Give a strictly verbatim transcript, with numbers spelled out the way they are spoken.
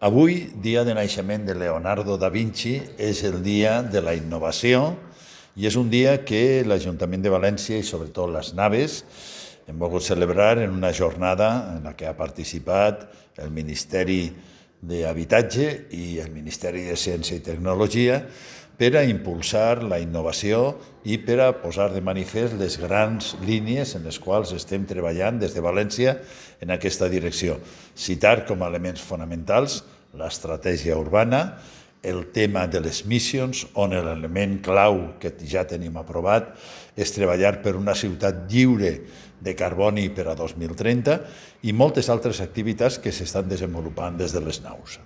Avui, dia de naixement de Leonardo da Vinci, és el dia de la innovació i és un dia que l'Ajuntament de València i sobretot les Naves hem volgut celebrar en una jornada en la que ha participat el Ministeri d'Habitatge i el Ministeri de Ciència i Tecnologia per a impulsar la innovació i per a posar de manifest les grans línies en les quals estem treballant des de València en aquesta direcció. Citar com a elements fonamentals l'estratègia urbana, el tema de les missions, on l'element clau que ja tenim aprovat és treballar per una ciutat lliure de carboni per a dos mil trenta i moltes altres activitats que s'estan desenvolupant des de les naus.